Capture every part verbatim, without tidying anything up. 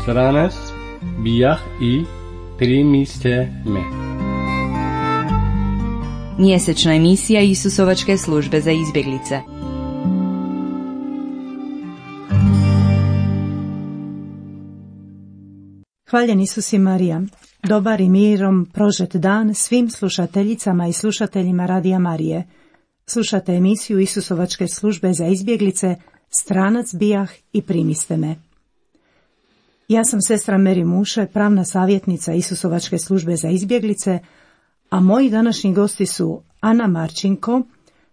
Stranac bijah i primiste me. Mjesečna emisija Isusovačke službe za izbjeglice. Hvaljen Isus i Marija, dobar i mirom prožet dan svim slušateljicama i slušateljima Radija Marije. Slušate emisiju Isusovačke službe za izbjeglice, Stranac bijah i primiste me. Ja sam sestra Meri Muše, pravna savjetnica Isusovačke službe za izbjeglice, a moji današnji gosti su Ana Marčinko,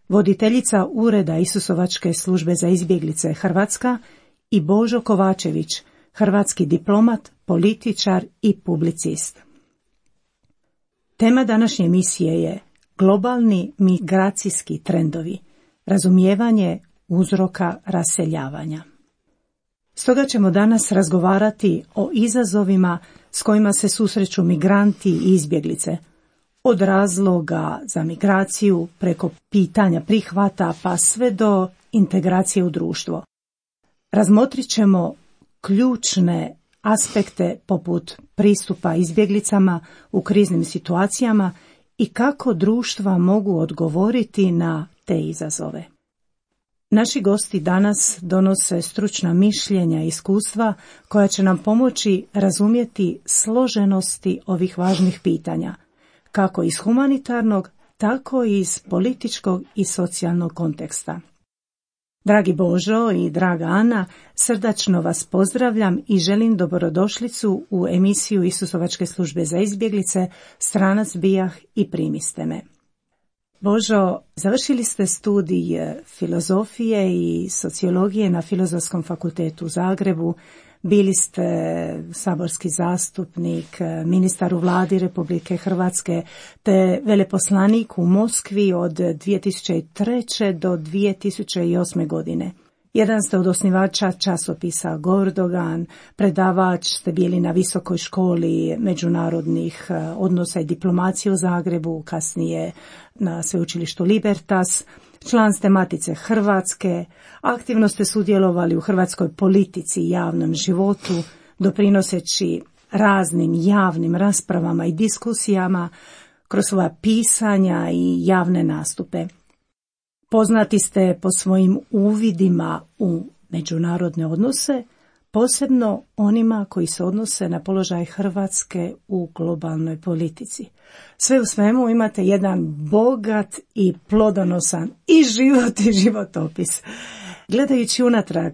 voditeljica Ureda Isusovačke službe za izbjeglice Hrvatska, i Božo Kovačević, hrvatski diplomat, političar i publicist. Tema današnje emisije je globalni migracijski trendovi, razumijevanje uzroka raseljavanja. Stoga ćemo danas razgovarati o izazovima s kojima se susreću migranti i izbjeglice, od razloga za migraciju preko pitanja prihvata pa sve do integracije u društvo. Razmotrit ćemo ključne aspekte poput pristupa izbjeglicama u kriznim situacijama i kako društva mogu odgovoriti na te izazove. Naši gosti danas donose stručna mišljenja i iskustva koja će nam pomoći razumjeti složenosti ovih važnih pitanja, kako iz humanitarnog, tako i iz političkog i socijalnog konteksta. Dragi Božo i draga Ana, srdačno vas pozdravljam i želim dobrodošlicu u emisiju Isusovačke službe za izbjeglice, Stranac bijah i primiste me. Božo, završili ste studij filozofije i sociologije na Filozofskom fakultetu u Zagrebu, bili ste saborski zastupnik, ministar u vladi Republike Hrvatske, te veleposlanik u Moskvi od dvije tisuće treće do dvije tisuće osme godine. Jedan ste od osnivača časopisa Gordogan, predavač ste bili na Visokoj školi međunarodnih odnosa i diplomacije u Zagrebu, kasnije na sveučilištu Libertas, član ste Matice Hrvatske, aktivno ste sudjelovali u hrvatskoj politici i javnom životu, doprinoseći raznim javnim raspravama i diskusijama kroz svoja pisanja i javne nastupe. Poznati ste po svojim uvidima u međunarodne odnose, posebno onima koji se odnose na položaj Hrvatske u globalnoj politici. Sve u svemu imate jedan bogat i plodonosan i život i životopis. Gledajući unatrag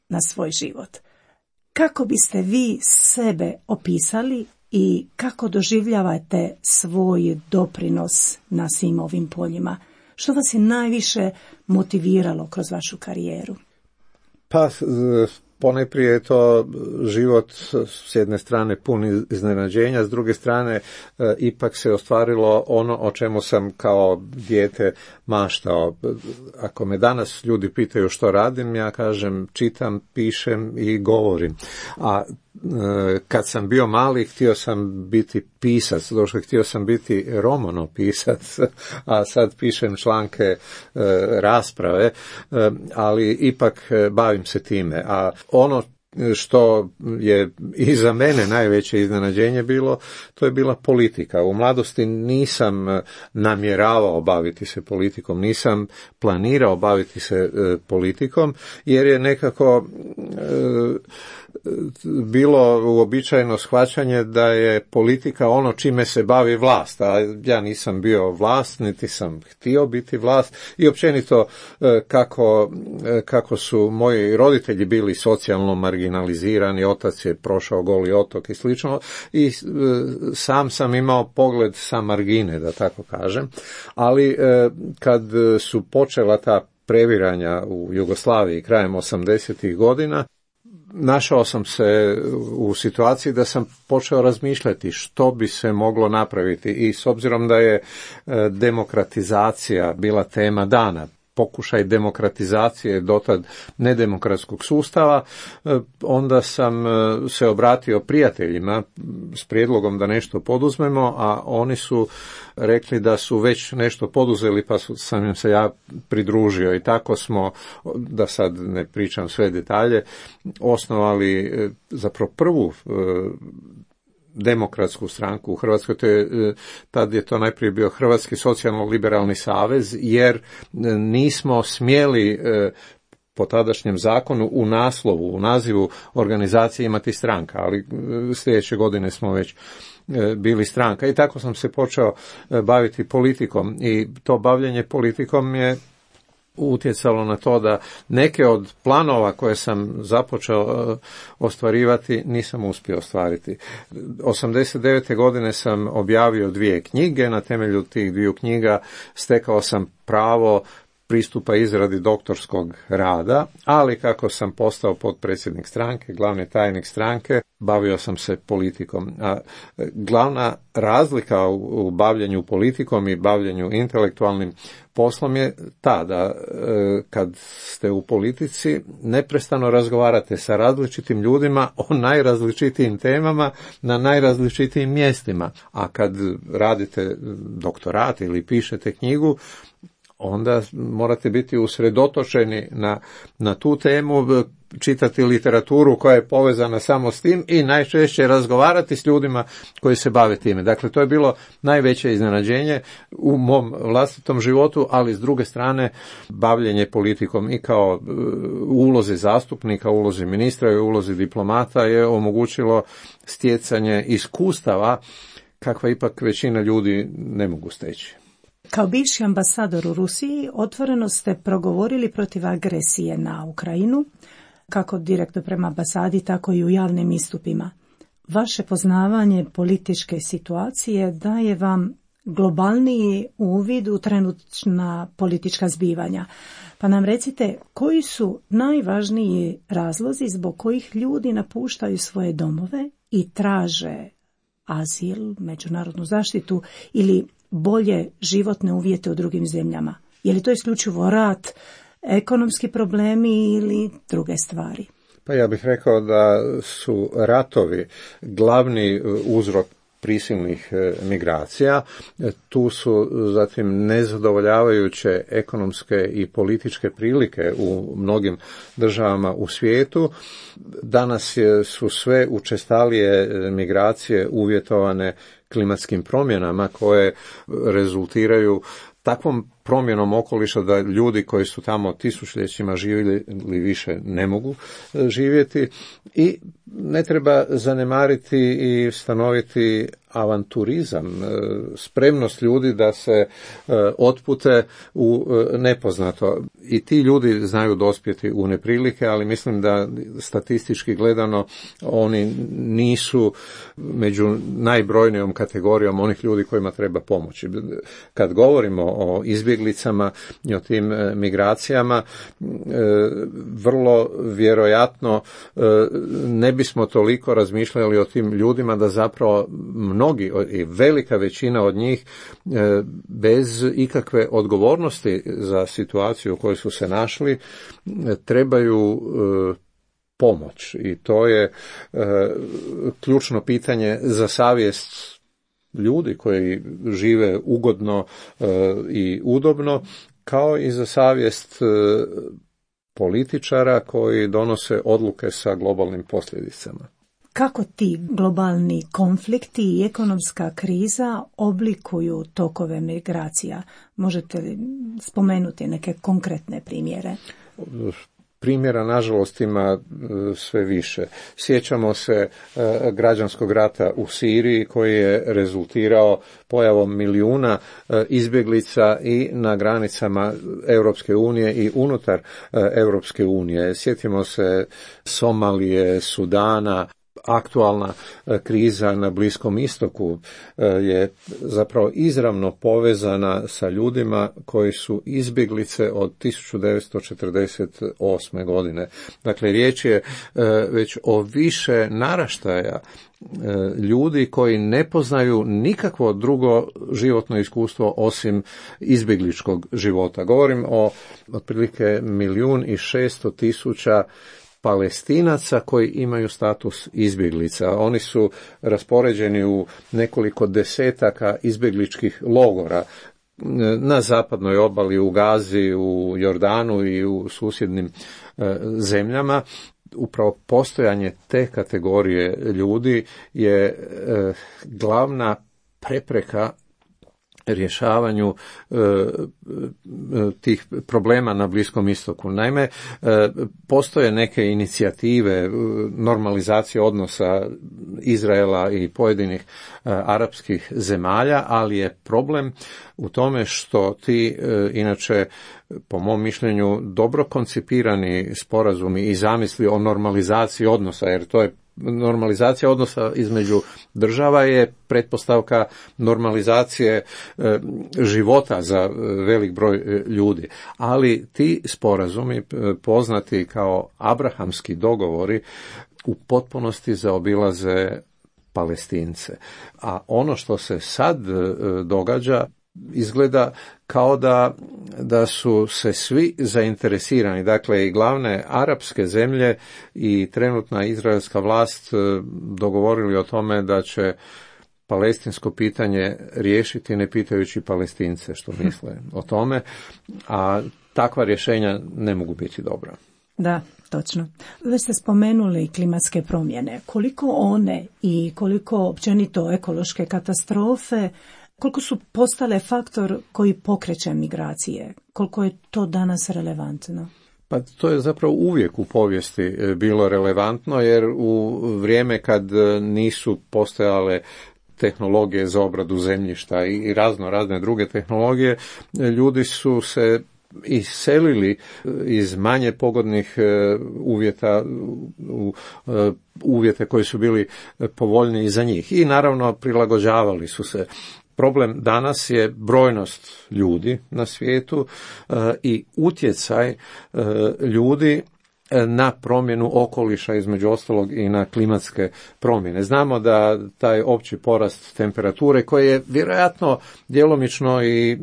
na svoj život, kako biste vi sebe opisali i kako doživljavate svoj doprinos na svim ovim poljima? Što vas je najviše motiviralo kroz vašu karijeru? Pa, ponajprije je to život s jedne strane pun iznenađenja, s druge strane e, ipak se ostvarilo ono o čemu sam kao dijete maštao. Ako me danas ljudi pitaju što radim, ja kažem čitam, pišem i govorim. A kad sam bio mali, htio sam biti pisac, došao, htio sam biti romanopisac, a sad pišem članke, e, rasprave, e, ali ipak bavim se time. A ono što je i za mene najveće iznenađenje bilo, to je bila politika. U mladosti nisam namjeravao baviti se politikom, nisam planirao baviti se e, politikom, jer je nekako e, bilo uobičajeno shvaćanje da je politika ono čime se bavi vlast, a ja nisam bio vlast, niti sam htio biti vlast i općenito kako, kako su moji roditelji bili socijalno marginalizirani, otac je prošao Goli otok i slično, i sam sam imao pogled sa margine, da tako kažem, ali kad su počela ta previranja u Jugoslaviji krajem osamdesetih godina, našao sam se u situaciji da sam počeo razmišljati što bi se moglo napraviti, i s obzirom da je demokratizacija bila tema dana, pokušaj demokratizacije dotad nedemokratskog sustava, onda sam se obratio prijateljima s prijedlogom da nešto poduzmemo, a oni su rekli da su već nešto poduzeli, pa sam im se ja pridružio i tako smo, da sad ne pričam sve detalje, osnovali zapravo prvu demokratsku stranku u Hrvatskoj. To je, tad je to najprije bio Hrvatski socijalno-liberalni savez, jer nismo smjeli po tadašnjem zakonu u naslovu, u nazivu organizacije imati stranka, ali sljedeće godine smo već bili stranka i tako sam se počeo baviti politikom i to bavljenje politikom je utjecalo na to da neke od planova koje sam započeo ostvarivati nisam uspio ostvariti. osamdeset devete godine sam objavio dvije knjige, na temelju tih dviju knjiga stekao sam pravo pristupa izradi doktorskog rada, ali kako sam postao potpredsjednik stranke, glavni tajnik stranke, bavio sam se politikom. A glavna razlika u bavljenju politikom i bavljenju intelektualnim poslom je ta da kad ste u politici neprestano razgovarate sa različitim ljudima o najrazličitijim temama na najrazličitijim mjestima. A kad radite doktorat ili pišete knjigu, onda morate biti usredotočeni na, na tu temu, čitati literaturu koja je povezana samo s tim i najčešće razgovarati s ljudima koji se bave time. Dakle, to je bilo najveće iznenađenje u mom vlastitom životu, ali s druge strane bavljenje politikom i kao ulozi zastupnika, ulozi ministra i ulozi diplomata je omogućilo stjecanje iskustava kakva ipak većina ljudi ne mogu steći. Kao bivši ambasador u Rusiji otvoreno ste progovorili protiv agresije na Ukrajinu, kako direktno prema ambasadi, tako i u javnim istupima. Vaše poznavanje političke situacije daje vam globalniji uvid u trenutna politička zbivanja. Pa nam recite, koji su najvažniji razlozi zbog kojih ljudi napuštaju svoje domove i traže azil, međunarodnu zaštitu ili bolje životne uvjete u drugim zemljama? Je li to isključivo rat, ekonomski problemi ili druge stvari? Pa ja bih rekao da su ratovi glavni uzrok prisilnih migracija. Tu su zatim nezadovoljavajuće ekonomske i političke prilike u mnogim državama u svijetu. Danas su sve učestalije migracije uvjetovane klimatskim promjenama koje rezultiraju takvom promjenom okoliša da ljudi koji su tamo tisućljećima živjeli više ne mogu živjeti i ne treba zanemariti i stanoviti avanturizam, spremnost ljudi da se otpute u nepoznato. I ti ljudi znaju dospjeti u neprilike, ali mislim da statistički gledano oni nisu među najbrojnijom kategorijom onih ljudi kojima treba pomoći. Kad govorimo o izbjeglicama i o tim migracijama, vrlo vjerojatno ne bismo toliko razmišljali o tim ljudima da zapravo mnogi i velika većina od njih bez ikakve odgovornosti za situaciju u kojoj su se našli trebaju pomoć i to je ključno pitanje za savjest ljudi koji žive ugodno i udobno, kao i za savjest političara koji donose odluke sa globalnim posljedicama. Kako ti globalni konflikti i ekonomska kriza oblikuju tokove migracija? Možete li spomenuti neke konkretne primjere? Primjera, nažalost, ima sve više. Sjećamo se građanskog rata u Siriji koji je rezultirao pojavom milijuna izbjeglica i na granicama Europske unije i unutar Europske unije. Sjetimo se Somalije, Sudana, aktualna kriza na Bliskom istoku je zapravo izravno povezana sa ljudima koji su izbjeglice od tisuću devetsto četrdeset osme godine. Dakle, riječ je već o više naraštaja ljudi koji ne poznaju nikakvo drugo životno iskustvo osim izbjegličkog života. Govorim o otprilike milijun i šesto tisuća Palestinaca koji imaju status izbjeglica. Oni su raspoređeni u nekoliko desetaka izbjegličkih logora na zapadnoj obali, u Gazi, u Jordanu i u susjednim zemljama. Upravo postojanje te kategorije ljudi je e, glavna prepreka rješavanju e, tih problema na Bliskom istoku. Naime, e, postoje neke inicijative normalizacije odnosa Izraela i pojedinih e, arapskih zemalja, ali je problem u tome što ti e, inače po mom mišljenju dobro koncipirani sporazumi i zamisli o normalizaciji odnosa, jer to je normalizacija odnosa između država je pretpostavka normalizacije e, života za velik broj ljudi. Ali ti sporazumi, poznati kao abrahamski dogovori, u potpunosti zaobilaze Palestince. A ono što se sad e, događa izgleda kao da, da su se svi zainteresirani, dakle i glavne arapske zemlje i trenutna izraelska vlast dogovorili o tome da će palestinsko pitanje riješiti ne pitajući Palestince što misle o tome, a takva rješenja ne mogu biti dobra. Da, točno. Već ste spomenuli klimatske promjene. Koliko one i koliko općenito ekološke katastrofe, koliko su postale faktor koji pokreće migracije? Koliko je to danas relevantno? Pa to je zapravo uvijek u povijesti bilo relevantno, jer u vrijeme kad nisu postojale tehnologije za obradu zemljišta i razno razne druge tehnologije, ljudi su se iselili iz manje pogodnih uvjeta u uvjete koji su bili povoljniji za njih i naravno prilagođavali su se. Problem danas je brojnost ljudi na svijetu i utjecaj ljudi na promjenu okoliša, između ostalog i na klimatske promjene. Znamo da taj opći porast temperature, koji je vjerojatno djelomično i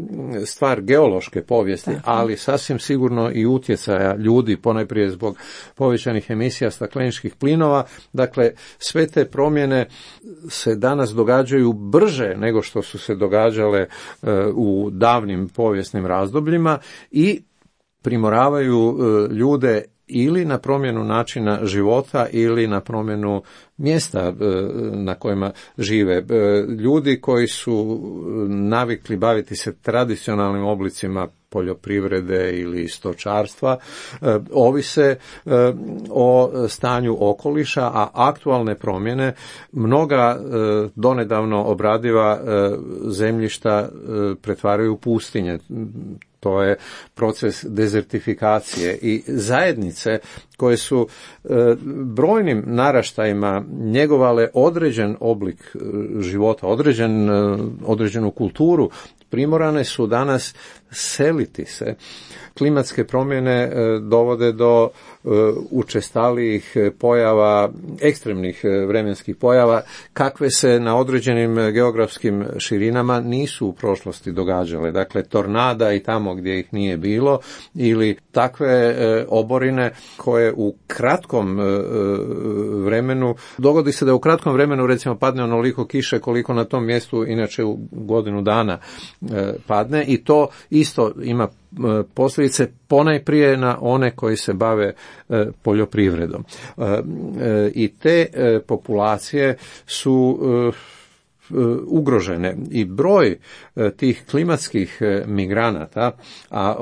stvar geološke povijesti, ali sasvim sigurno i utjecaja ljudi, ponajprije zbog povećanih emisija stakleničkih plinova. Dakle, sve te promjene se danas događaju brže nego što su se događale u davnim povijesnim razdobljima i primoravaju ljude ili na promjenu načina života ili na promjenu mjesta na kojima žive. Ljudi koji su navikli baviti se tradicionalnim oblicima poljoprivrede ili stočarstva ovise o stanju okoliša, a aktualne promjene mnoga donedavno obradiva zemljišta pretvaraju u pustinje. To je proces dezertifikacije i zajednice koje su brojnim naraštajima njegovale određen oblik života, određen, određenu kulturu, primorane su danas seliti se. Klimatske promjene dovode do učestalijih pojava, ekstremnih vremenskih pojava, kakve se na određenim geografskim širinama nisu u prošlosti događale. Dakle, tornada i tamo gdje ih nije bilo, ili takve oborine koje u kratkom vremenu, dogodi se da u kratkom vremenu recimo padne onoliko kiše koliko na tom mjestu inače u godinu dana padne, i to isto ima posljedice ponajprije na one koji se bave poljoprivredom. I te populacije su ugrožene i broj tih klimatskih migranata, a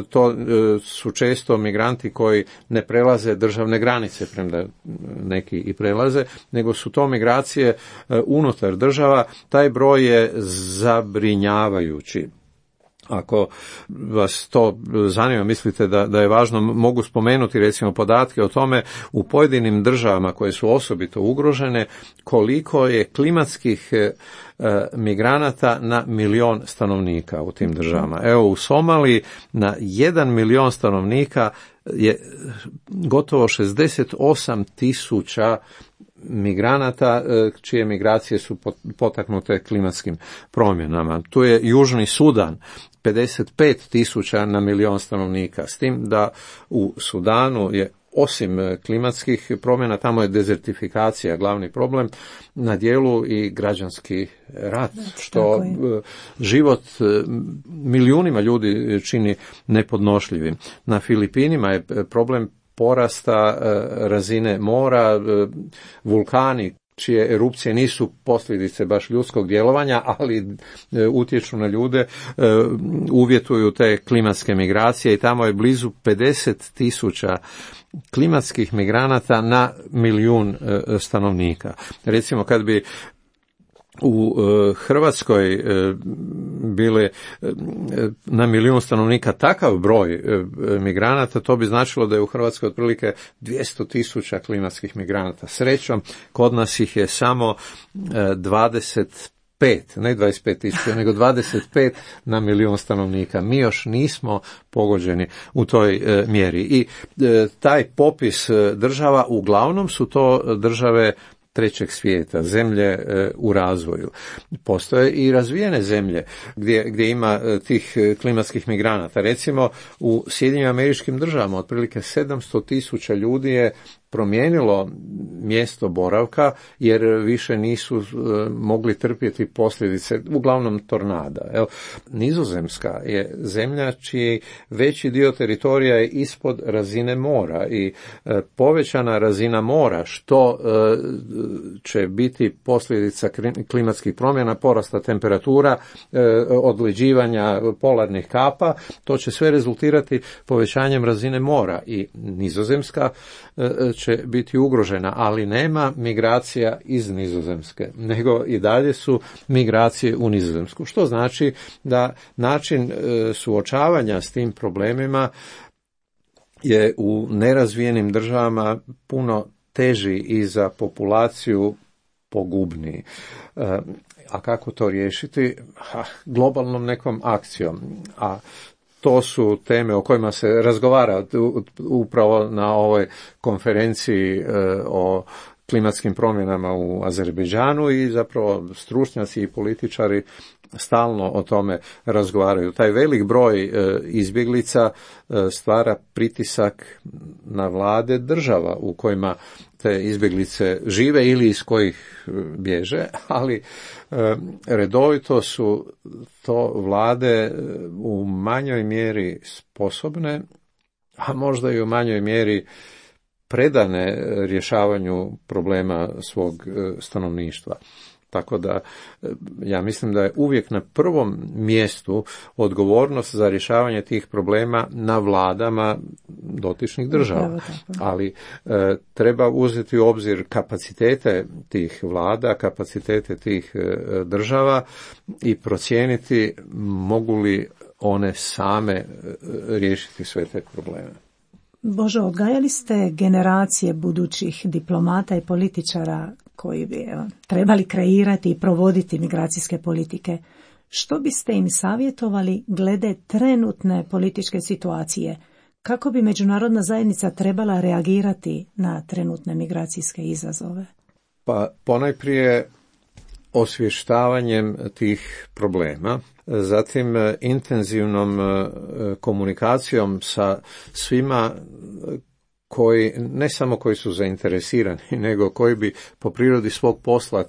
to su često migranti koji ne prelaze državne granice, premda neki i prelaze, nego su to migracije unutar država. Taj broj je zabrinjavajući. Ako vas to zanima, mislite da, da je važno, mogu spomenuti recimo podatke o tome u pojedinim državama koje su osobito ugrožene, koliko je klimatskih e, migranata na milion stanovnika u tim državama. Evo u Somaliji na jedan milion stanovnika je gotovo šezdeset osam tisuća migranata čije migracije su potaknute klimatskim promjenama. Tu je Južni Sudan, pedeset pet tisuća na milion stanovnika, s tim da u Sudanu je osim klimatskih promjena, tamo je dezertifikacija glavni problem, na dijelu i građanski rat, što život milijunima ljudi čini nepodnošljivim. Na Filipinima je problem porasta razine mora, vulkani čije erupcije nisu posljedice baš ljudskog djelovanja, ali utječu na ljude, uvjetuju te klimatske migracije i tamo je blizu pedeset tisuća klimatskih migranata na milijun stanovnika. Recimo kad bi u Hrvatskoj bile na milijun stanovnika takav broj migranata, to bi značilo da je u Hrvatskoj otprilike dvjesto tisuća klimatskih migranata. Srećom, kod nas ih je samo dvadeset pet, ne dvadeset pet tisuća, nego dvadeset pet na milijun stanovnika. Mi još nismo pogođeni u toj e, mjeri. I e, taj popis država, uglavnom su to države trećeg svijeta, zemlje e, u razvoju. Postoje i razvijene zemlje gdje, gdje ima e, tih klimatskih migranata. Recimo u Sjedinjenim Američkim Državama otprilike sedamsto tisuća ljudi je promijenilo mjesto boravka jer više nisu e, mogli trpjeti posljedice, uglavnom tornada. Evo, Nizozemska je zemlja čiji veći dio teritorija je ispod razine mora i e, povećana razina mora, što e, će biti posljedica klimatskih promjena, porasta temperatura, e, odleđivanja polarnih kapa, to će sve rezultirati povećanjem razine mora i Nizozemska e, će biti ugrožena, ali nema migracija iz Nizozemske, nego i dalje su migracije u Nizozemsku. Što znači da način suočavanja s tim problemima je u nerazvijenim državama puno teži i za populaciju pogubniji. A kako to riješiti? Ha, globalnom nekom akcijom. A to su teme o kojima se razgovara upravo na ovoj konferenciji o klimatskim promjenama u Azerbejdžanu i zapravo stručnjaci i političari stalno o tome razgovaraju. Taj velik broj izbjeglica stvara pritisak na vlade država u kojima te izbjeglice žive ili iz kojih bježe, ali redovito su to vlade u manjoj mjeri sposobne, a možda i u manjoj mjeri predane rješavanju problema svog stanovništva. Tako da ja mislim da je uvijek na prvom mjestu odgovornost za rješavanje tih problema na vladama dotičnih država. Ali e, treba uzeti u obzir kapacitete tih vlada, kapacitete tih e, država i procijeniti mogu li one same e, riješiti sve te probleme. Božo, odgajali ste generacije budućih diplomata i političara koji bi evo, trebali kreirati i provoditi migracijske politike. Što biste im savjetovali glede trenutne političke situacije? Kako bi međunarodna zajednica trebala reagirati na trenutne migracijske izazove? Pa ponajprije osvještavanjem tih problema, zatim intenzivnom komunikacijom sa svima koji, ne samo koji su zainteresirani, nego koji bi po prirodi svog posla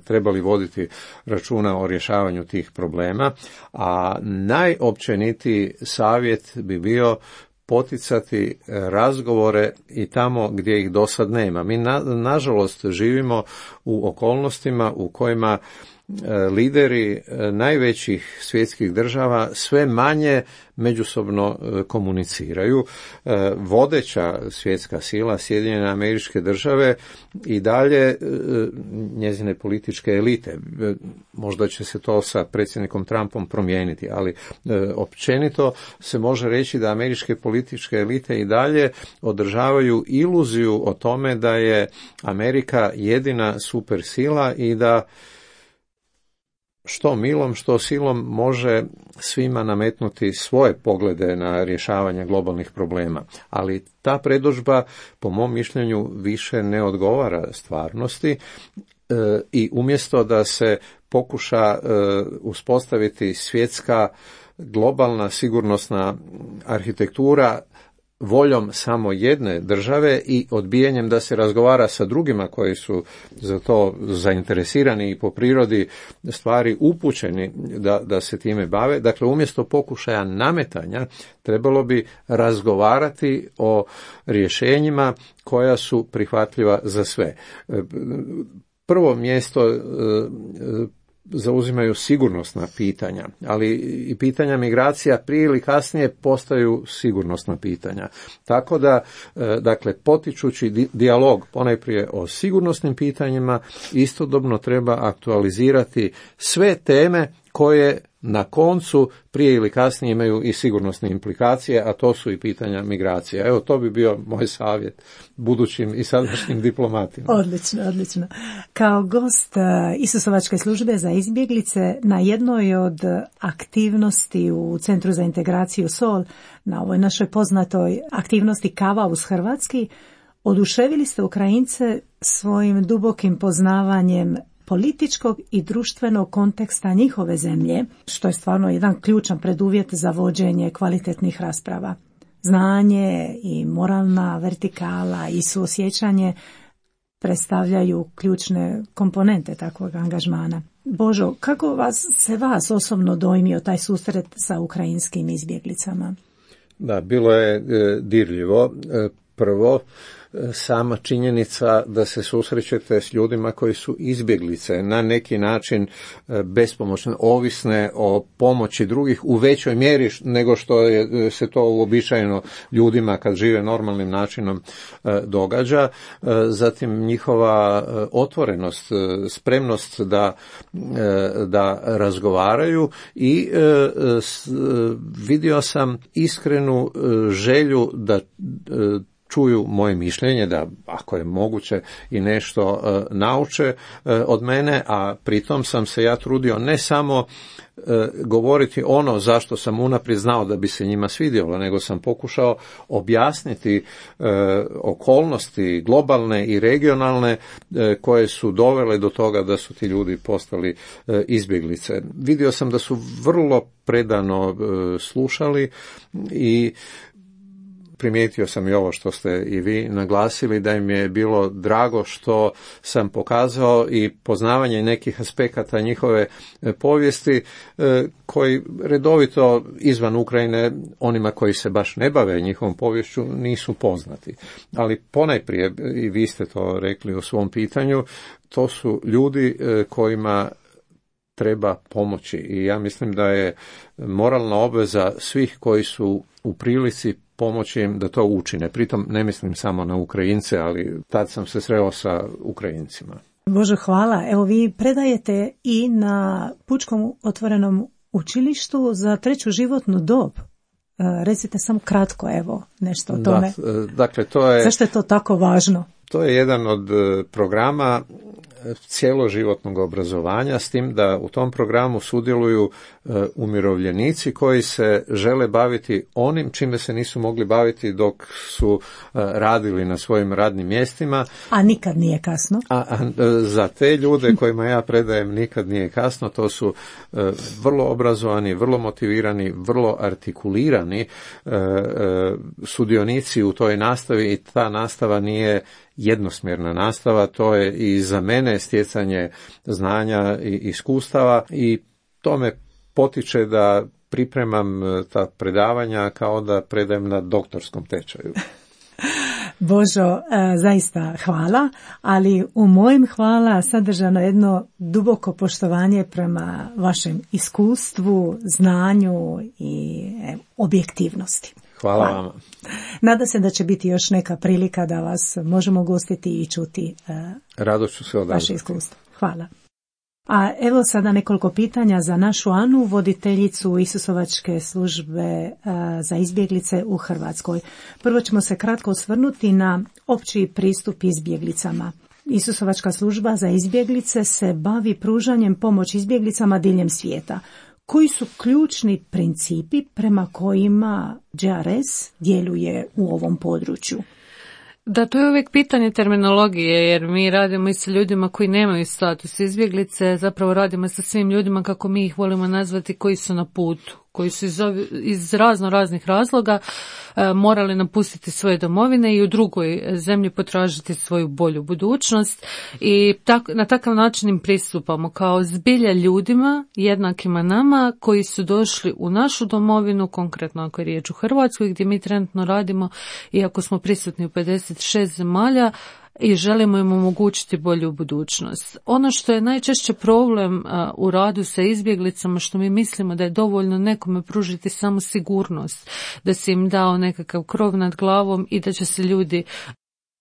trebali voditi računa o rješavanju tih problema, a najopćenitiji savjet bi bio poticati razgovore i tamo gdje ih do sad nema. Mi na, nažalost živimo u okolnostima u kojima lideri najvećih svjetskih država sve manje međusobno komuniciraju. Vodeća svjetska sila, Sjedinjene Američke Države, i dalje njezine političke elite. Možda će se to sa predsjednikom Trumpom promijeniti, ali općenito se može reći da američke političke elite i dalje održavaju iluziju o tome da je Amerika jedina supersila i da što milom, što silom može svima nametnuti svoje poglede na rješavanje globalnih problema. Ali ta predodžba, po mom mišljenju, više ne odgovara stvarnosti e, i umjesto da se pokuša e, uspostaviti svjetska globalna sigurnosna arhitektura voljom samo jedne države i odbijanjem da se razgovara sa drugima koji su za to zainteresirani i po prirodi stvari upućeni da, da se time bave. Dakle, umjesto pokušaja nametanja trebalo bi razgovarati o rješenjima koja su prihvatljiva za sve. Prvo mjesto zauzimaju sigurnosna pitanja, ali i pitanja migracija prije ili kasnije postaju sigurnosna pitanja. Tako da, dakle, potičući dijalog ponajprije o sigurnosnim pitanjima, istodobno treba aktualizirati sve teme koje na koncu prije ili kasnije imaju i sigurnosne implikacije, a to su i pitanja migracija. Evo, to bi bio moj savjet budućim i sadašnjim diplomatima. Odlično, odlično. Kao gost Isusovačke službe za izbjeglice na jednoj od aktivnosti u Centru za integraciju S O L, na ovoj našoj poznatoj aktivnosti Kava uz hrvatski, oduševili ste Ukrajince svojim dubokim poznavanjem političkog i društvenog konteksta njihove zemlje, što je stvarno jedan ključan preduvjet za vođenje kvalitetnih rasprava. Znanje i moralna vertikala i suosjećanje predstavljaju ključne komponente takvog angažmana. Božo, kako vas, se vas osobno dojmio taj susret sa ukrajinskim izbjeglicama? Da, bilo je e, dirljivo. E, prvo, sama činjenica da se susrećete s ljudima koji su izbjeglice, na neki način bespomoćne, ovisne o pomoći drugih u većoj mjeri nego što je, se to uobičajeno ljudima kad žive normalnim načinom događa. Zatim njihova otvorenost, spremnost da, da razgovaraju i vidio sam iskrenu želju da čuju moje mišljenje, da ako je moguće i nešto uh, nauče uh, od mene, a pritom sam se ja trudio ne samo uh, govoriti ono zašto sam unaprijed znao da bi se njima svidjelo, nego sam pokušao objasniti uh, okolnosti globalne i regionalne uh, koje su dovele do toga da su ti ljudi postali uh, izbjeglice. Vidio sam da su vrlo predano uh, slušali i primijetio sam i ovo što ste i vi naglasili, da im je bilo drago što sam pokazao i poznavanje nekih aspekata njihove povijesti koji redovito izvan Ukrajine onima koji se baš ne bave njihovom poviješću nisu poznati. Ali ponajprije, i vi ste to rekli u svom pitanju, to su ljudi kojima treba pomoći i ja mislim da je moralna obveza svih koji su u prilici pomoći im da to učine. Pritom ne mislim samo na Ukrajince, ali tad sam se sreo sa Ukrajincima. Bože, hvala. Evo, vi predajete i na Pučkom otvorenom učilištu za treću životnu dob. Recite samo kratko, evo, nešto o tome. Da, dakle, to je... Zašto je to tako važno? To je jedan od programa cjeloživotnog obrazovanja, s tim da u tom programu sudjeluju e, umirovljenici koji se žele baviti onim čime se nisu mogli baviti dok su e, radili na svojim radnim mjestima. A nikad nije kasno. A, a za te ljude kojima ja predajem nikad nije kasno, to su e, vrlo obrazovani, vrlo motivirani, vrlo artikulirani e, e, sudionici u toj nastavi i ta nastava nije jednosmjerna nastava, to je i za mene stjecanje znanja i iskustava i to me potiče da pripremam ta predavanja kao da predajem na doktorskom tečaju. Božo, zaista hvala, ali u mojem hvala sadržano jedno duboko poštovanje prema vašem iskustvu, znanju i objektivnosti. Hvala, hvala vama. Nada se da će biti još neka prilika da vas možemo gostiti i čuti Rado ću se odazvati. Vaše iskustvo. Hvala. A evo sada nekoliko pitanja za našu Anu, voditeljicu Isusovačke službe za izbjeglice u Hrvatskoj. Prvo ćemo se kratko osvrnuti na opći pristup izbjeglicama. Isusovačka služba za izbjeglice se bavi pružanjem pomoći izbjeglicama diljem svijeta. Koji su ključni principi prema kojima J R S djeluje u ovom području? Da, to je uvijek pitanje terminologije, jer mi radimo i sa ljudima koji nemaju status izbjeglice, zapravo radimo sa svim ljudima, kako mi ih volimo nazvati, koji su na putu, koji su iz, iz razno raznih razloga e, morali napustiti svoje domovine i u drugoj zemlji potražiti svoju bolju budućnost, i tak, na takav način im pristupamo kao zbilja ljudima jednakima nama koji su došli u našu domovinu, konkretno ako je riječ u Hrvatskoj gdje mi trenutno radimo, iako smo prisutni u pedeset šest zemalja, i želimo im omogućiti bolju budućnost. Ono što je najčešće problem a, u radu sa izbjeglicama, što mi mislimo da je dovoljno nekome pružiti samo sigurnost, da se im dao nekakav krov nad glavom i da će se ljudi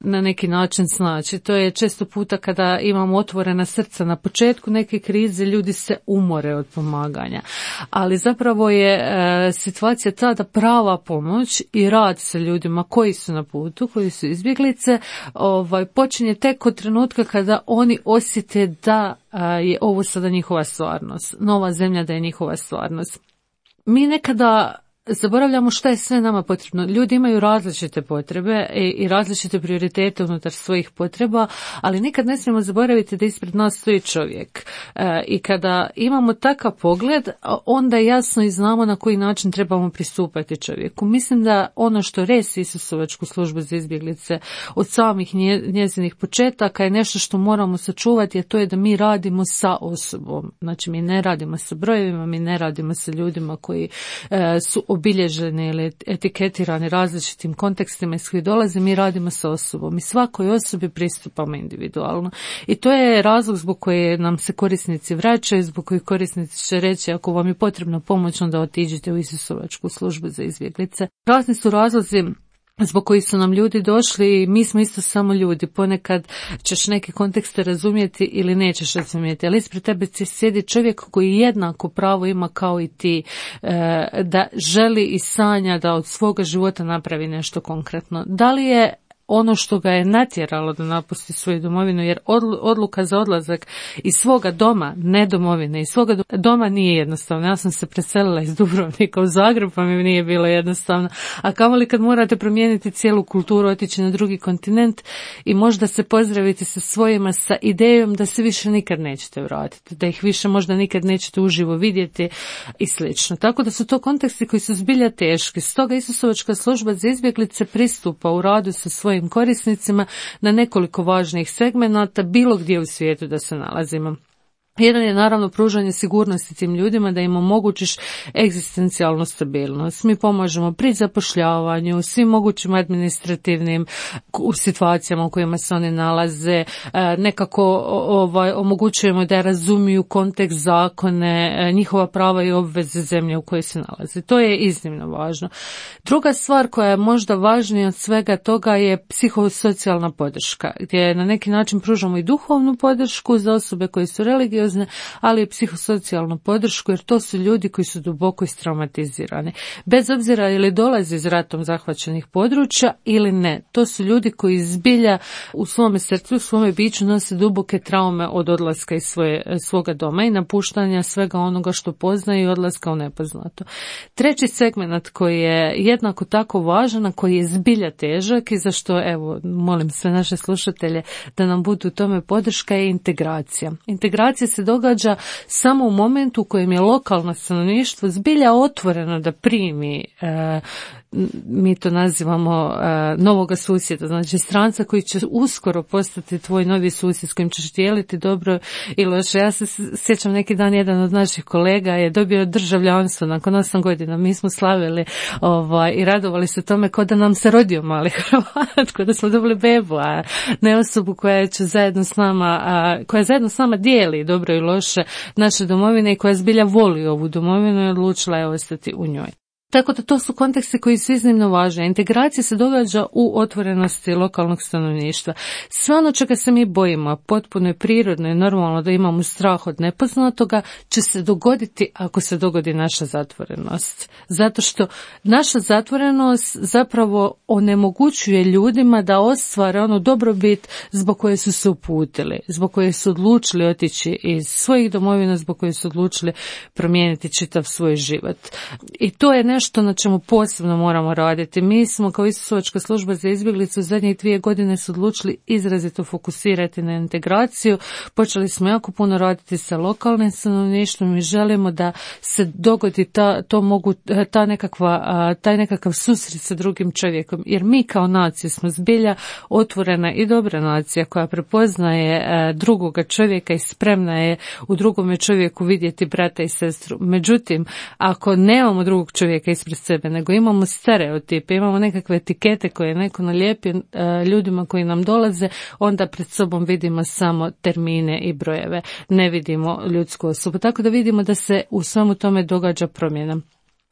na neki način snaći. To je često puta kada imamo otvorena srca na početku neke krize, ljudi se umore od pomaganja. Ali zapravo je e, situacija ta da prava pomoć i rad sa ljudima koji su na putu, koji su izbjeglice, ovaj, počinje tek od trenutka kada oni osjete da a, je ovo sada njihova stvarnost, nova zemlja da je njihova stvarnost. Mi nekada zaboravljamo šta je sve nama potrebno. Ljudi imaju različite potrebe i, i različite prioritete unutar svojih potreba, ali nikad ne smijemo zaboraviti da ispred nas stoji čovjek. E, I kada imamo takav pogled, onda jasno i znamo na koji način trebamo pristupati čovjeku. Mislim da ono što resi Isusovačku službu za izbjeglice od samih nje, njezinih početaka je nešto što moramo sačuvati, a to je da mi radimo sa osobom. Znači mi ne radimo sa brojevima, mi ne radimo sa ljudima koji e, su obilježeni ili etiketirani različitim kontekstima iz kojih dolaze, mi radimo sa osobom i svakoj osobi pristupamo individualno. I to je razlog zbog koje nam se korisnici vraćaju, zbog kojih korisnici će reći ako vam je potrebna pomoć, onda otiđite u Isusovačku službu za izbjeglice. Razni su razlozi zbog koji su nam ljudi došli i mi smo isto samo ljudi. Ponekad ćeš neke kontekste razumjeti ili nećeš razumjeti, ali ispred tebe sjedi čovjek koji jednako pravo ima kao i ti, da želi i sanja da od svoga života napravi nešto konkretno. Da li je ono što ga je natjeralo da napusti svoju domovinu, jer odluka za odlazak iz svoga doma, ne domovine, iz svoga doma nije jednostavno. Ja sam se preselila iz Dubrovnika u Zagreb, pa mi nije bilo jednostavno. A kamoli kad morate promijeniti cijelu kulturu, otići na drugi kontinent i možda se pozdraviti sa svojima sa idejom da se više nikad nećete vratiti, da ih više možda nikad nećete uživo vidjeti i slično. Tako da su to konteksti koji su zbilja teški. Stoga Isusovačka služba za izbjeglice pristupa u radu sa svojim korisnicima na nekoliko važnih segmenata bilo gdje u svijetu da se nalazimo. Jedan je naravno pružanje sigurnosti tim ljudima, da im omogućiš egzistencijalnu stabilnost. Mi pomažemo pri zapošljavanju, svim mogućim administrativnim situacijama u kojima se oni nalaze, nekako ovaj, omogućujemo da razumiju kontekst, zakone, njihova prava i obveze zemlje u kojoj se nalaze. To je iznimno važno. Druga stvar koja je možda važnija od svega toga je psihosocijalna podrška, gdje na neki način pružamo i duhovnu podršku za osobe koje su religiozne, ali i psihosocijalnu podršku, jer to su ljudi koji su duboko istraumatizirani. Bez obzira ili dolaze iz ratom zahvaćenih područja ili ne. To su ljudi koji zbilja u svome srcu, u svome biću nose duboke traume od odlaska iz svoje, svoga doma i napuštanja svega onoga što poznaju i odlaska u nepoznato. Treći segment koji je jednako tako važan, a koji je zbilja težak i za što, evo, molim sve naše slušatelje da nam budu u tome podrška, je integracija. Integracija se se događa samo u momentu u kojem je lokalno stanovništvo zbilja otvoreno da primi, e, mi to nazivamo e, novoga susjeda, znači stranca koji će uskoro postati tvoj novi susjed s kojim ćeš dijeliti dobro i loše. Ja se sjećam neki dan, jedan od naših kolega je dobio državljanstvo nakon osam godina. Mi smo slavili ovaj, i radovali se tome kao da nam se rodio mali Hrvat, kao da smo dobili bebu, a ne osobu koja će zajedno s nama, a, koja zajedno s nama dijeli dobro i loše naše domovine i koja zbilja voli ovu domovinu i odlučila je ostati u njoj. Tako da to su konteksti koji su iznimno važni. Integracija se događa u otvorenosti lokalnog stanovništva. Sve ono čega se mi bojimo, potpuno je prirodno i normalno da imamo strah od nepoznatoga, će se dogoditi ako se dogodi naša zatvorenost. Zato što naša zatvorenost zapravo onemogućuje ljudima da ostvare onu dobrobit zbog koje su se uputili, zbog koje su odlučili otići iz svojih domovina, zbog koje su odlučili promijeniti čitav svoj život. I to je nešto nešto na čemu posebno moramo raditi. Mi smo kao Isusovačka služba za izbjeglice u zadnjih dvije godine su odlučili izrazito fokusirati na integraciju. Počeli smo jako puno raditi sa lokalnim stanovništvom i želimo da se dogodi ta, to mogu, ta nekakva, taj nekakav susret sa drugim čovjekom. Jer mi kao nacija smo zbilja otvorena i dobra nacija koja prepoznaje drugoga čovjeka i spremna je u drugome čovjeku vidjeti brata i sestru. Međutim, ako nemamo drugog čovjeka ispred sebe, nego imamo stereotipe, imamo nekakve etikete koje neko nalijepi ljudima koji nam dolaze, onda pred sobom vidimo samo termine i brojeve, ne vidimo ljudsku osobu. Tako da vidimo da se u svemu tome događa promjena.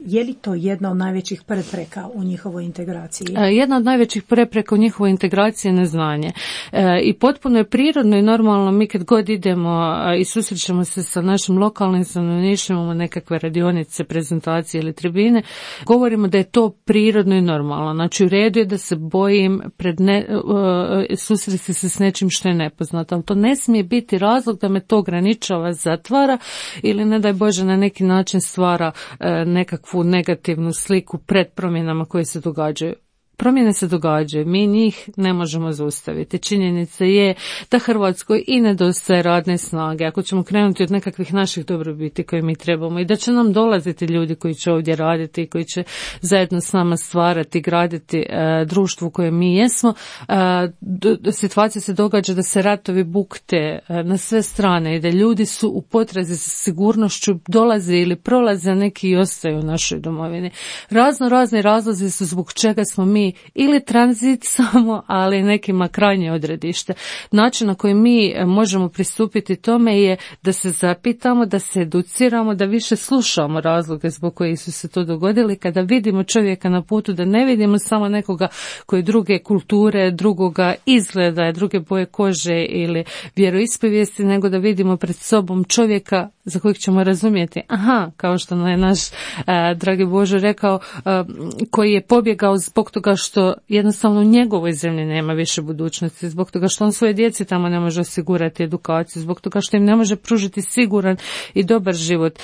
Je li to jedna od najvećih prepreka u njihovoj integraciji? Jedna od najvećih prepreka u njihovoj integraciji je neznanje. E, I potpuno je prirodno i normalno, mi kad god idemo i susrećemo se sa našim lokalnim stanovništvom, imamo nekakve radionice, prezentacije ili tribine, govorimo da je to prirodno i normalno. Znači u redu je da se bojim pred ne, uh, susresti se s nečim što je nepoznato, ali to ne smije biti razlog da me to ograničava, zatvara ili ne daj Bože na neki način stvara uh, nekakvu negativnu sliku pred promjenama koje se događaju. Promjene se događaju, mi njih ne možemo zaustaviti. Činjenica je da Hrvatskoj i nedostaje radne snage, ako ćemo krenuti od nekakvih naših dobrobiti koje mi trebamo i da će nam dolaziti ljudi koji će ovdje raditi i koji će zajedno s nama stvarati, graditi e, društvo u kojem mi jesmo. E, do, do, situacija se događa da se ratovi bukte e, na sve strane i da ljudi su u potrazi za sigurnošću, dolaze ili prolaze, neki i ostaju u našoj domovini. Razno razni razlozi su zbog čega smo mi ili tranzit samo, ali nekima krajnje odredište. Način na koji mi možemo pristupiti tome je da se zapitamo, da se educiramo, da više slušamo razloge zbog kojih su se to dogodili. Kada vidimo čovjeka na putu, da ne vidimo samo nekoga koji druge kulture, drugoga izgleda, druge boje kože ili vjeroispovijesti, nego da vidimo pred sobom čovjeka za kojeg ćemo razumjeti. Aha, kao što je naš a, dragi Bože rekao, a, koji je pobjegao zbog toga što jednostavno u njegovoj zemlji nema više budućnosti, zbog toga što on svoje djeci tamo ne može osigurati edukaciju, zbog toga što im ne može pružiti siguran i dobar život.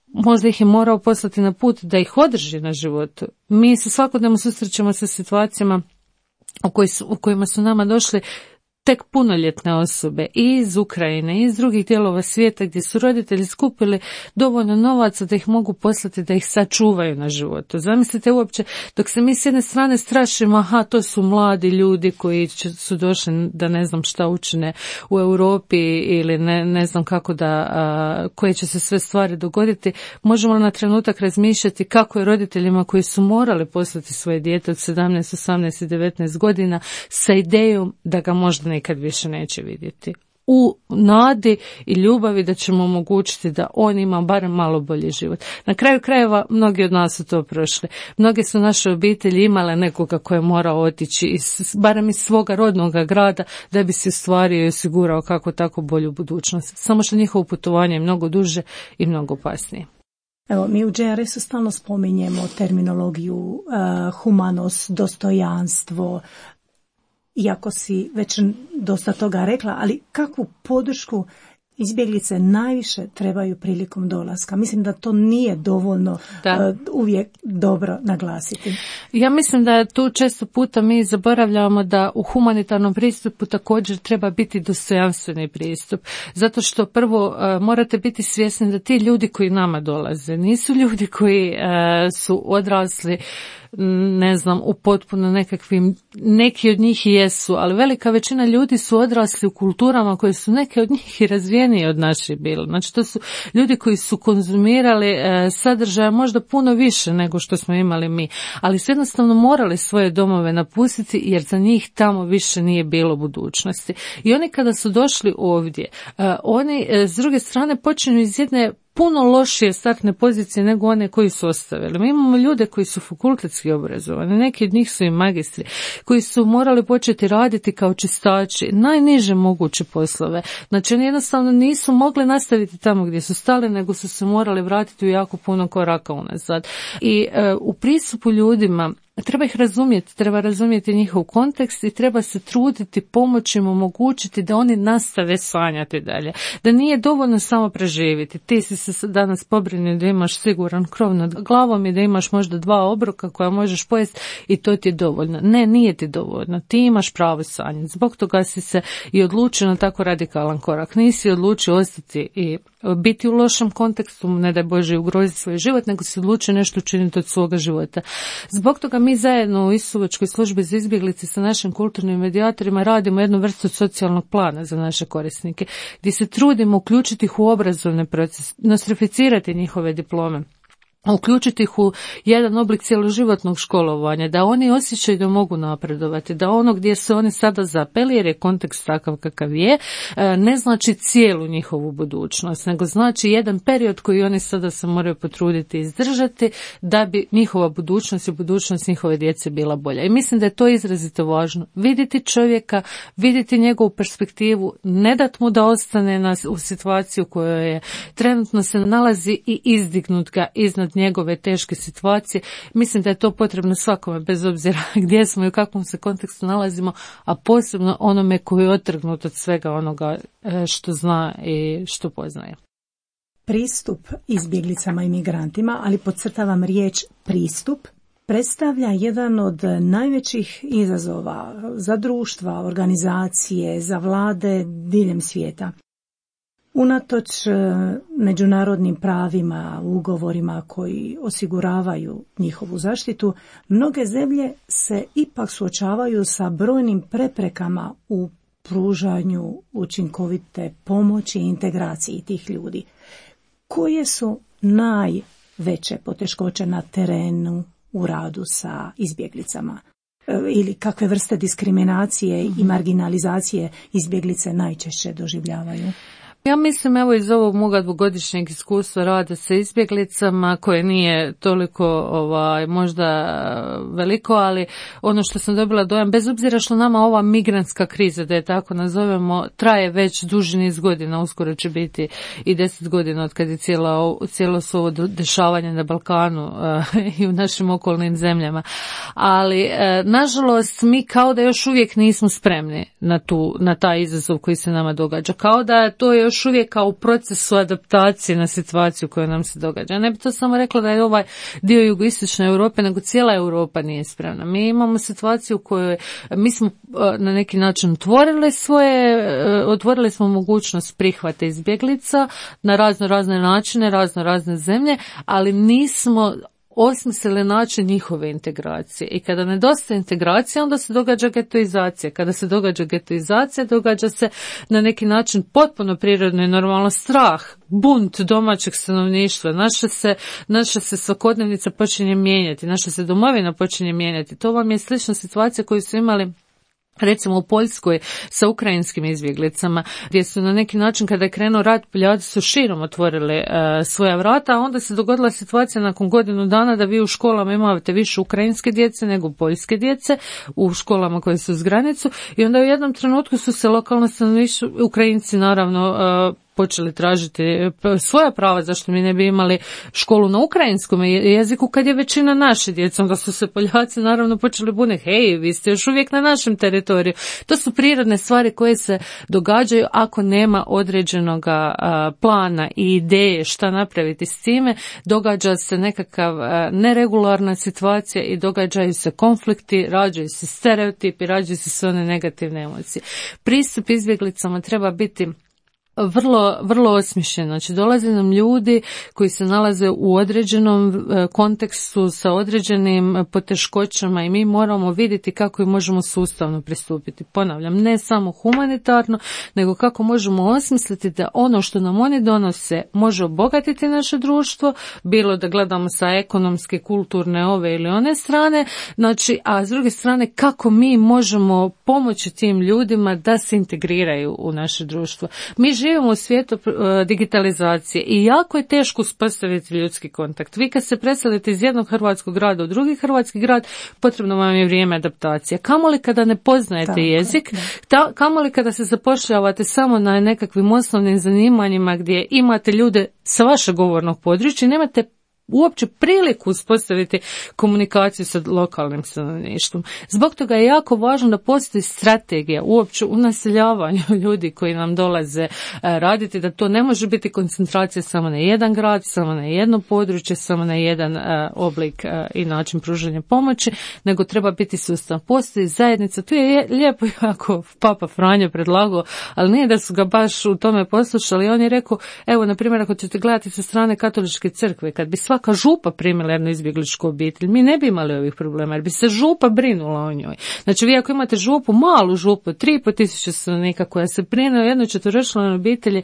Možda ih je morao poslati na put da ih održi na životu. Mi se svakodnevno susrećemo sa situacijama u, koji su, u kojima su nama došli tek punoljetne osobe i iz Ukrajine i iz drugih dijelova svijeta gdje su roditelji skupili dovoljno novaca da ih mogu poslati da ih sačuvaju na životu. Zamislite uopće, dok se mi s jedne strane strašimo, aha, to su mladi ljudi koji će, su došli da ne znam šta učine u Europi ili ne, ne znam kako da, a, koje će se sve stvari dogoditi, možemo na trenutak razmišljati kako je roditeljima koji su morali poslati svoje dijete od sedamnaest, osamnaest i devetnaest godina sa idejom da ga možda nikad više neće vidjeti. U nadi i ljubavi da ćemo omogućiti da on ima barem malo bolji život. Na kraju krajeva mnogi od nas su to prošli. Mnoge su naše obitelji imale nekoga koje je morao otići iz, barem iz svoga rodnog grada da bi se ostvario i osigurao kako tako bolju budućnost. Samo što njihovo putovanje je mnogo duže i mnogo opasnije. Evo, mi u J R S-u stalno spominjemo terminologiju uh, humanost, dostojanstvo, iako si već dosta toga rekla, ali kakvu podršku izbjeglice najviše trebaju prilikom dolaska. Mislim da to nije dovoljno da. Uh, uvijek dobro naglasiti. Ja mislim da tu često puta mi zaboravljamo da u humanitarnom pristupu također treba biti dostojanstveni pristup. Zato što prvo uh, morate biti svjesni da ti ljudi koji nama dolaze nisu ljudi koji uh, su odrasli, ne znam, u potpuno nekakvim, neki od njih i jesu, ali velika većina ljudi su odrasli u kulturama koje su neke od njih i razvijenije od naših bile. Znači to su ljudi koji su konzumirali e, sadržaja možda puno više nego što smo imali mi, ali su jednostavno morali svoje domove napustiti jer za njih tamo više nije bilo budućnosti. I oni kada su došli ovdje, e, oni e, s druge strane počinju iz jedne puno lošije startne pozicije nego one koji su ostavili. Mi imamo ljude koji su fakultetski obrazovani, neki od njih su i magistri, koji su morali početi raditi kao čistači, najniže moguće poslove. Znači oni jednostavno nisu mogli nastaviti tamo gdje su stali, nego su se morali vratiti u jako puno koraka unazad. I e, u pristupu ljudima treba ih razumjeti, treba razumjeti njihov kontekst i treba se truditi, pomoći im, omogućiti da oni nastave sanjati dalje. Da nije dovoljno samo preživjeti. Ti si se danas pobrinio da imaš siguran krov nad glavom i da imaš možda dva obroka koja možeš pojesti i to ti je dovoljno. Ne, nije ti dovoljno. Ti imaš pravo sanjati. Zbog toga si se i odlučio na tako radikalan korak. Nisi odlučio ostati i biti u lošem kontekstu, ne daj Bože ugroziti svoj život, nego si odlučio nešto učiniti od svoga života. Zbog toga mi zajedno u Isusovačkoj službi za izbjeglice sa našim kulturnim medijatorima radimo jednu vrstu socijalnog plana za naše korisnike, gdje se trudimo uključiti ih u obrazovni proces, nostrificirati njihove diplome, uključiti ih u jedan oblik cjeloživotnog školovanja, da oni osjećaju da mogu napredovati, da ono gdje se oni sada zapeli, jer je kontekst takav kakav je, ne znači cijelu njihovu budućnost, nego znači jedan period koji oni sada se moraju potruditi izdržati da bi njihova budućnost i budućnost njihove djece bila bolja. I mislim da je to izrazito važno. Vidjeti čovjeka, vidjeti njegovu perspektivu, ne dat mu da ostane na, u situaciji u kojoj je trenutno se nalazi i izdignut ga iznad njegove teške situacije. Mislim da je to potrebno svakome, bez obzira gdje smo i u kakvom se kontekstu nalazimo, a posebno onome koji je otrgnut od svega onoga što zna i što poznaje. Pristup izbjeglicama i migrantima, ali podcrtavam riječ pristup, predstavlja jedan od najvećih izazova za društva, organizacije, za vlade diljem svijeta. Unatoč međunarodnim pravima, ugovorima koji osiguravaju njihovu zaštitu, mnoge zemlje se ipak suočavaju sa brojnim preprekama u pružanju učinkovite pomoći i integraciji tih ljudi. Koje su najveće poteškoće na terenu u radu sa izbjeglicama? Ili kakve vrste diskriminacije i marginalizacije izbjeglice najčešće doživljavaju? Ja mislim, evo iz ovog moga dvogodišnjeg iskustva rada sa izbjeglicama, koje nije toliko ovaj, možda veliko, ali ono što sam dobila dojam, bez obzira što nama ova migrantska kriza, da je tako nazovemo, traje već duži niz godina, uskoro će biti i deset godina od kad je cijelo, cijelo su ovo dešavanje na Balkanu uh, i u našim okolnim zemljama. Ali, uh, nažalost, mi kao da još uvijek nismo spremni na, tu, na taj izazov koji se nama događa. Kao da to je još uvijek kao u procesu adaptacije na situaciju koja nam se događa. Ne bi to samo rekla da je ovaj dio jugoistočne Europe, nego cijela Europa nije spremna. Mi imamo situaciju u kojoj mi smo na neki način otvorili svoje, otvorili smo mogućnost prihvata izbjeglica na razno razne načine, razno razne zemlje, ali nismo osmislili način njihove integracije. I kada nedostaje integracija, onda se događa getoizacija. Kada se događa getoizacija, događa se na neki način potpuno prirodno i normalno strah, bunt domaćeg stanovništva. Naša se, naša se svakodnevnica počinje mijenjati, naša se domovina počinje mijenjati. To vam je slična situacija koju su imali recimo u Poljskoj sa ukrajinskim izbjeglicama, gdje su na neki način kada je krenuo rat, Poljati su širom otvorili uh, svoja vrata, a onda se dogodila situacija nakon godinu dana da vi u školama imate više ukrajinske djece nego poljske djece u školama koje su uz granicu, i onda u jednom trenutku su se lokalno stanovništvo, Ukrajinci naravno, uh, počeli tražiti svoja prava, zašto mi ne bi imali školu na ukrajinskom jeziku kad je većina naše djece, onda su se Poljaci naravno počeli buniti, hej, vi ste još uvijek na našem teritoriju. To su prirodne stvari koje se događaju ako nema određenog plana i ideje šta napraviti s time, događa se nekakav neregularna situacija i događaju se konflikti, rađaju se stereotipi, rađaju se sve one negativne emocije. Pristup izbjeglicama treba biti vrlo, vrlo osmišljen. Znači, dolaze nam ljudi koji se nalaze u određenom kontekstu sa određenim poteškoćama i mi moramo vidjeti kako im možemo sustavno pristupiti. Ponavljam, ne samo humanitarno, nego kako možemo osmisliti da ono što nam oni donose može obogatiti naše društvo, bilo da gledamo sa ekonomske, kulturne, ove ili one strane, znači, a s druge strane kako mi možemo pomoći tim ljudima da se integriraju u naše društvo. Mi živimo u svijetu digitalizacije i jako je teško uspostaviti ljudski kontakt. Vi kad se preselite iz jednog hrvatskog grada u drugi hrvatski grad, potrebno vam je vrijeme adaptacije. Kamoli kada ne poznajete Tako, jezik, ta, kamoli kada se zapošljavate samo na nekakvim osnovnim zanimanjima gdje imate ljude sa vašeg govornog područja, nemate uopće priliku uspostaviti komunikaciju sa lokalnim stanovništvom. Zbog toga je jako važno da postoji strategija uopće u naseljavanju ljudi koji nam dolaze raditi, da to ne može biti koncentracija samo na jedan grad, samo na jedno područje, samo na jedan oblik i način pružanja pomoći, nego treba biti sustav. Postoji zajednica, tu je lijepo jako Papa Franjo predlagao, ali nije da su ga baš u tome poslušali. On je rekao, evo, na primjer, ako ćete gledati sa strane katoličke crkve, kad bi svaka župa primila jednu izbjegličku obitelj, mi ne bi imali ovih problema, jer bi se župa brinula o njoj. Znači, vi ako imate župu, malu župu, tri i pol tisuće stanovnika koja se brine o jednoj četveročlanoj obitelji,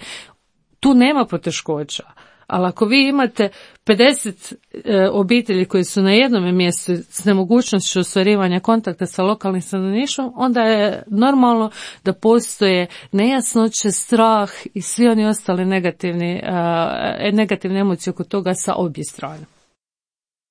tu nema poteškoća. Ali ako vi imate pedeset e, obitelji koji su na jednom mjestu s nemogućnošću ostvarivanja kontakta sa lokalnim stanovništvom, onda je normalno da postoje nejasnoće, strah i svi oni ostali negativni, e, negativne emocije oko toga sa obje strane.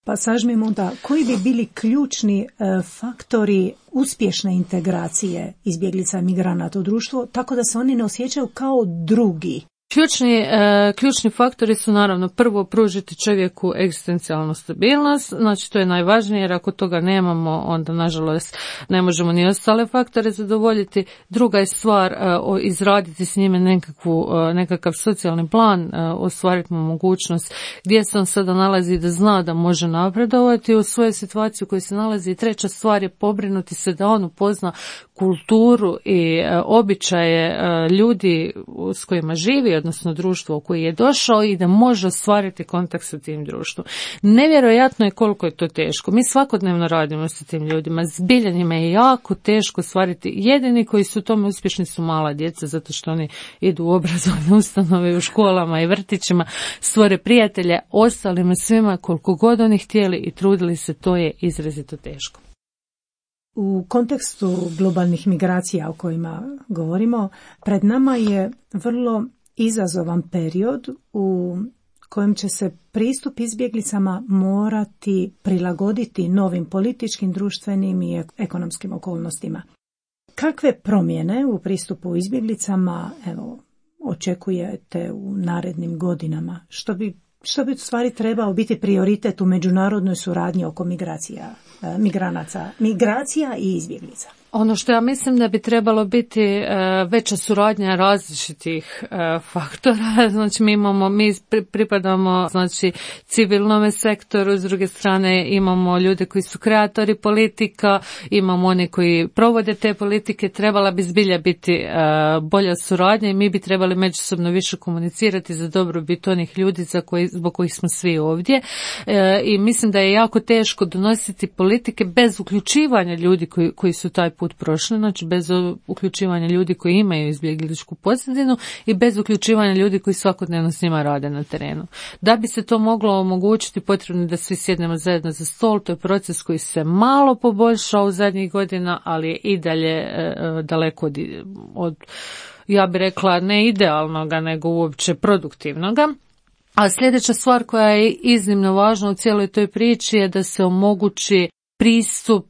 Pa sažmimo da, koji bi bili ključni e, faktori uspješne integracije izbjeglica i migranata u društvo, tako da se oni ne osjećaju kao drugi? Ključni, e, ključni faktori su naravno prvo pružiti čovjeku egzistencijalnu stabilnost, znači to je najvažnije jer ako toga nemamo onda nažalost ne možemo ni ostale faktore zadovoljiti. Druga je stvar e, o, izraditi s njime nekakvu, e, nekakav socijalni plan, e, ostvariti mu mogućnost gdje se on sada nalazi da zna da može napredovati u svojoj situaciji u kojoj se nalazi. I treća stvar je pobrinuti se da on upozna kulturu i e, običaje e, ljudi s kojima živi, odnosno društvo u koje je došao i da može ostvariti kontakt sa tim društvom. Nevjerojatno je koliko je to teško. Mi svakodnevno radimo sa tim ljudima. Zbilja njima je jako teško ostvariti. Jedini koji su u tome uspješni su mala djeca, zato što oni idu u obrazovne ustanove, u školama i vrtićima, stvore prijatelje, ostalima svima koliko god oni htjeli i trudili se, to je izrazito teško. U kontekstu globalnih migracija o kojima govorimo, pred nama je vrlo izazovan period u kojem će se pristup izbjeglicama morati prilagoditi novim političkim, društvenim i ekonomskim okolnostima. Kakve promjene u pristupu izbjeglicama evo, očekujete u narednim godinama? Što bi, što bi u stvari trebao biti prioritet u međunarodnoj suradnji oko migracija, migranaca, migracija i izbjeglica? Ono što ja mislim da bi trebalo biti e, veća suradnja različitih e, faktora, znači mi imamo, mi pripadamo znači civilnome sektoru, s druge strane imamo ljude koji su kreatori politika, imamo oni koji provode te politike, trebala bi zbilja biti e, bolja suradnja i mi bi trebali međusobno više komunicirati za dobrobit onih ljudi za koji, zbog kojih smo svi ovdje e, i mislim da je jako teško donositi politike bez uključivanja ljudi koji, koji su taj put prošli, znači bez uključivanja ljudi koji imaju izbjegličku pozadinu i bez uključivanja ljudi koji svakodnevno s njima rade na terenu. Da bi se to moglo omogućiti, potrebno je da svi sjednemo zajedno za stol, to je proces koji se malo poboljšao u zadnjih godina, ali je i dalje e, daleko od, od, ja bih rekla, ne idealnoga, nego uopće produktivnoga. A sljedeća stvar koja je iznimno važna u cijeloj toj priči je da se omogući pristup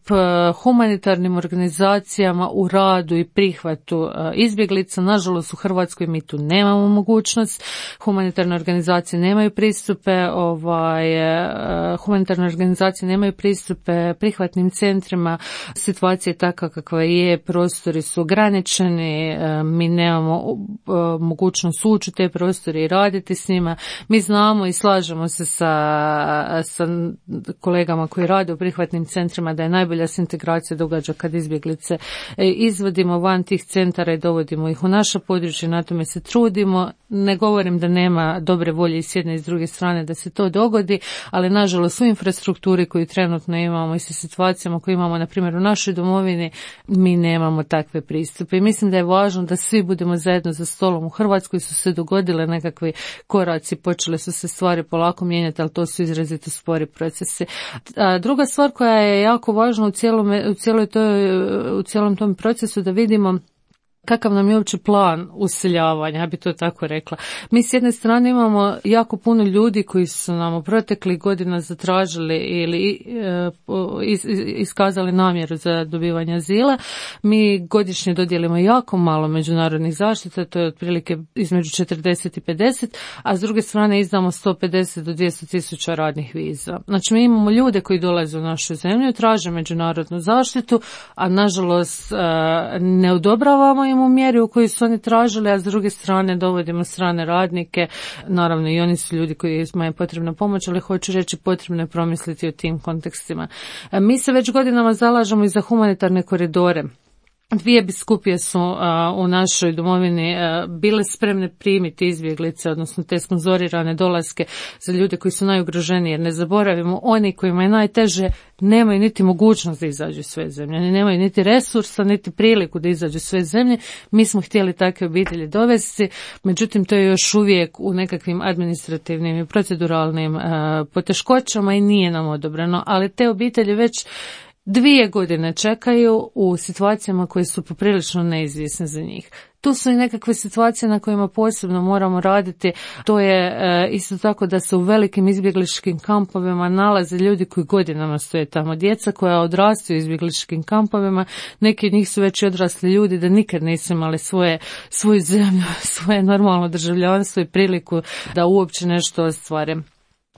humanitarnim organizacijama u radu i prihvatu izbjeglica. Nažalost, u Hrvatskoj mi tu nemamo mogućnost. Humanitarne organizacije nemaju pristupe, ovaj, humanitarne organizacije nemaju pristupe prihvatnim centrima. Situacija je takva kakva je, prostori su ograničeni, mi nemamo mogućnost ući u te prostore i raditi s njima. Mi znamo i slažemo se sa, sa kolegama koji rade u prihvatnim centrima da je najbolja se integracija događa kad izbjeglice izvodimo van tih centara i dovodimo ih u naša područja, na tome se trudimo. Ne govorim da nema dobre volje i s jedne i s druge strane da se to dogodi, ali nažalost u infrastrukturi koju trenutno imamo i sa situacijama koje imamo na primjer u našoj domovini, mi nemamo takve pristupe. I mislim da je važno da svi budemo zajedno za stolom. U Hrvatskoj su se dogodile nekakvi koraci, počele su se stvari polako mijenjati, ali to su izrazito spori procesi. A druga stvar koja je jako važna u cijelom, u cijeloj toj, u cijelom tom procesu da vidimo kakav nam je uopće plan useljavanja, ja bi to tako rekla. Mi s jedne strane imamo jako puno ljudi koji su nam u proteklih godina zatražili ili iskazali namjeru za dobivanje azila. Mi godišnje dodijelimo jako malo međunarodnih zaštita, to je otprilike između četrdeset i pedeset, a s druge strane izdamo sto pedeset do dvjesto tisuća radnih viza. Znači mi imamo ljude koji dolaze u našu zemlju, traže međunarodnu zaštitu, a nažalost ne odobravamo u mjeri u kojoj su oni tražili, a s druge strane dovodimo strane radnike. Naravno i oni su ljudi kojima je potrebna pomoć, ali hoću reći potrebno je promisliti o tim kontekstima. Mi se već godinama zalažemo i za humanitarne koridore. Dvije biskupije su a, u našoj domovini a, bile spremne primiti izbjeglice, odnosno te sponzorirane dolaske za ljude koji su najugroženiji, jer ne zaboravimo, oni kojima je najteže nemaju niti mogućnost da izađu iz svoje zemlje, oni nemaju niti resursa, niti priliku da izađu iz svoje zemlje. Mi smo htjeli takve obitelji dovesti, međutim to je još uvijek u nekakvim administrativnim i proceduralnim a, poteškoćama i nije nam odobreno, ali te obitelji već dvije godine čekaju u situacijama koje su poprilično neizvjesne za njih. Tu su i nekakve situacije na kojima posebno moramo raditi. To je e, isto tako da se u velikim izbjegličkim kampovima nalaze ljudi koji godinama stoje tamo. Djeca koja odrastaju u izbjegličkim kampovima, neki od njih su već i odrasli ljudi da nikad nisu imali svoje, svoju zemlju, svoje normalno državljanstvo i priliku da uopće nešto ostvare.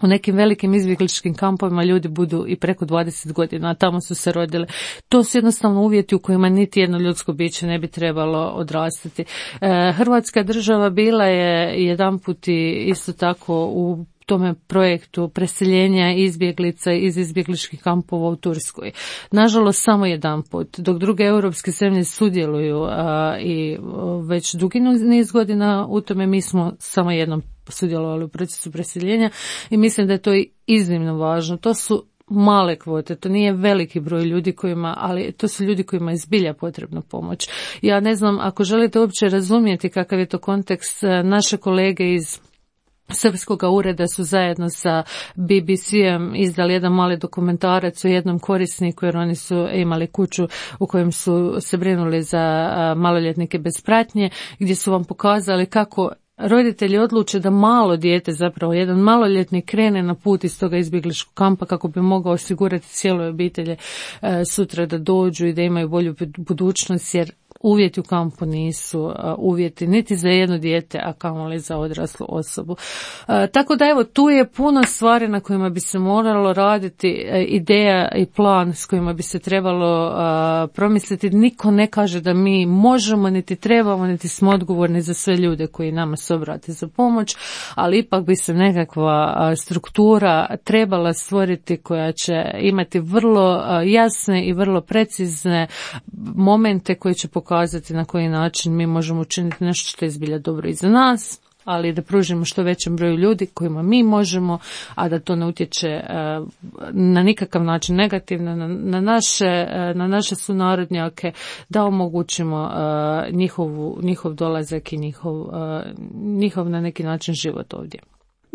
U nekim velikim izbjegličkim kampovima ljudi budu i preko dvadeset godina, a tamo su se rodili. To su jednostavno uvjeti u kojima niti jedno ljudsko biće ne bi trebalo odrastati. E, Hrvatska država bila je jedanput i isto tako u tome projektu preseljenja izbjeglica iz izbjegličkih kampova u Turskoj. Nažalost, samo jedan put, dok druge europske zemlje sudjeluju a, i već dugi niz godina u tome, mi smo samo jednom sudjelovali u procesu preseljenja i mislim da je to iznimno važno. To su male kvote, to nije veliki broj ljudi kojima, ali to su ljudi kojima je zbilja potrebna pomoć. Ja ne znam, ako želite uopće razumjeti kakav je to kontekst, naše kolege iz Srpskoga ureda su zajedno sa B B C-em izdali jedan mali dokumentarac o jednom korisniku, jer oni su imali kuću u kojem su se brinuli za maloljetnike bez pratnje, gdje su vam pokazali kako roditelji odluče da malo dijete, zapravo jedan maloljetnik, krene na put iz toga izbjegličkog kampa kako bi mogao osigurati cijeloj obitelji sutra da dođu i da imaju bolju budućnost, jer uvjeti u kampu nisu uvjeti niti za jedno dijete, a kamoli za odraslu osobu. E, tako da evo, tu je puno stvari na kojima bi se moralo raditi, e, ideja i plan s kojima bi se trebalo a, promisliti. Niko ne kaže da mi možemo, niti trebamo, niti smo odgovorni za sve ljude koji nama se obrate za pomoć, ali ipak bi se nekakva a, struktura trebala stvoriti koja će imati vrlo a, jasne i vrlo precizne momente koji će pokazati na koji način mi možemo učiniti nešto što je zbilja dobro i za nas, ali da pružimo što većem broju ljudi kojima mi možemo, a da to ne utječe na nikakav način negativno na, na, naše, na naše sunarodnjake, da omogućimo njihovu, njihov dolazak i njihov, njihov na neki način život ovdje.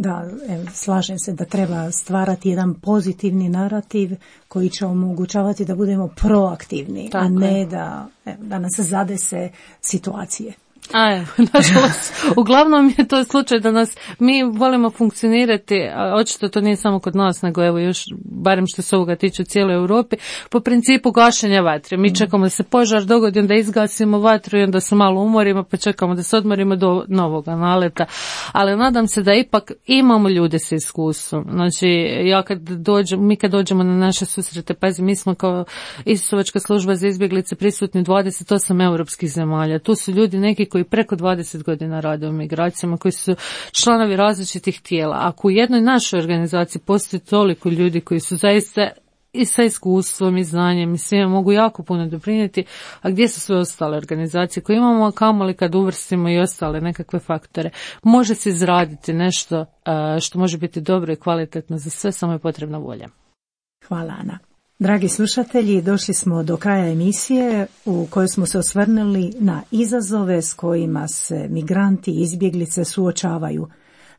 Da, evo, slažem se da treba stvarati jedan pozitivni narativ koji će omogućavati da budemo proaktivni, tako a ne da, evo, da nas zadese situacije. A evo, nažalost, uglavnom je to slučaj da nas, mi volimo funkcionirati, a očito to nije samo kod nas, nego evo još, barem što se ovoga tiče u cijeloj Europi, po principu gašenja vatre. Mi čekamo da se požar dogodi, onda izgasimo vatru i onda se malo umorimo, pa čekamo da se odmorimo do novoga naleta. Ali nadam se da ipak imamo ljude sa iskustvom. Znači, ja kad dođem, mi kad dođemo na naše susrete, pazi, mi smo kao Isusovačka služba za izbjeglice prisutni dvadeset osam europskih zemalja. Tu su ljudi neki koji preko dvadeset godina rade u migracijama, koji su članovi različitih tijela. Ako u jednoj našoj organizaciji postoji toliko ljudi koji su zaista i sa iskustvom i znanjem i svima mogu jako puno doprinijeti, a gdje su sve ostale organizacije koje imamo, a kamoli kad uvrstimo i ostale nekakve faktore. Može se izraditi nešto što može biti dobro i kvalitetno za sve, samo je potrebna volja. Hvala, Ana. Dragi slušatelji, došli smo do kraja emisije u kojoj smo se osvrnuli na izazove s kojima se migranti i izbjeglice suočavaju,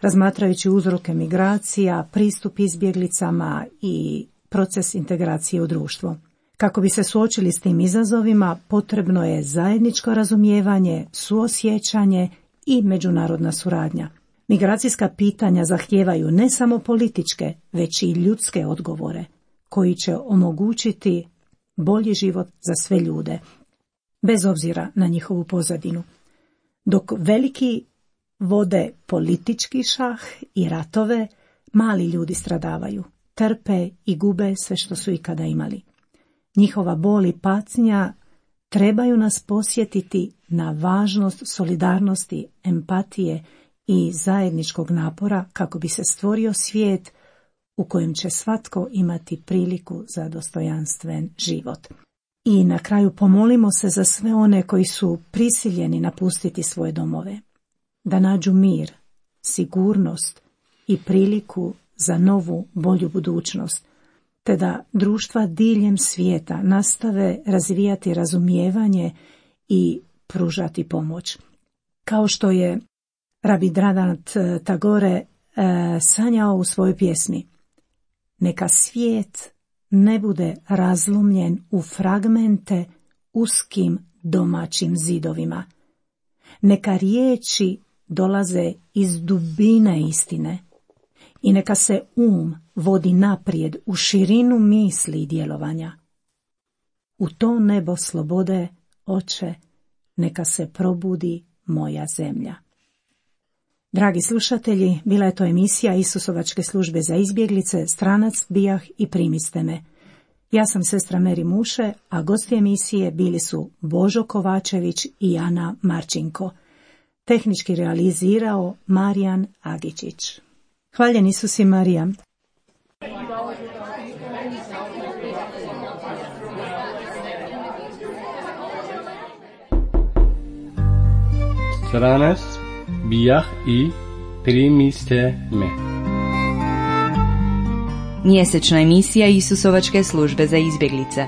razmatrajući uzroke migracija, pristup izbjeglicama i proces integracije u društvo. Kako bi se suočili s tim izazovima, potrebno je zajedničko razumijevanje, suosjećanje i međunarodna suradnja. Migracijska pitanja zahtijevaju ne samo političke, već i ljudske odgovore, koji će omogućiti bolji život za sve ljude, bez obzira na njihovu pozadinu. Dok veliki vode politički šah i ratove, mali ljudi stradavaju, trpe i gube sve što su ikada imali. Njihova bol i patnja trebaju nas podsjetiti na važnost solidarnosti, empatije i zajedničkog napora kako bi se stvorio svijet u kojem će svatko imati priliku za dostojanstven život. I na kraju pomolimo se za sve one koji su prisiljeni napustiti svoje domove, da nađu mir, sigurnost i priliku za novu, bolju budućnost, te da društva diljem svijeta nastave razvijati razumijevanje i pružati pomoć. Kao što je Rabindranath Tagore e, sanjao u svojoj pjesmi: neka svijet ne bude razlomljen u fragmente uskim domaćim zidovima. Neka riječi dolaze iz dubine istine i neka se um vodi naprijed u širinu misli i djelovanja. U to nebo slobode, Oče, neka se probudi moja zemlja. Dragi slušatelji, bila je to emisija Isusovačke službe za izbjeglice, Stranac, Bijah i Primiste me. Ja sam sestra Meri Muše, a gosti emisije bili su Božo Kovačević i Ana Marčinko. Tehnički realizirao Marijan Agičić. Hvaljen Isus i Marija. Stranac, Bijah i Primiste me. Mjesečna emisija Isusovačke službe za izbjeglice.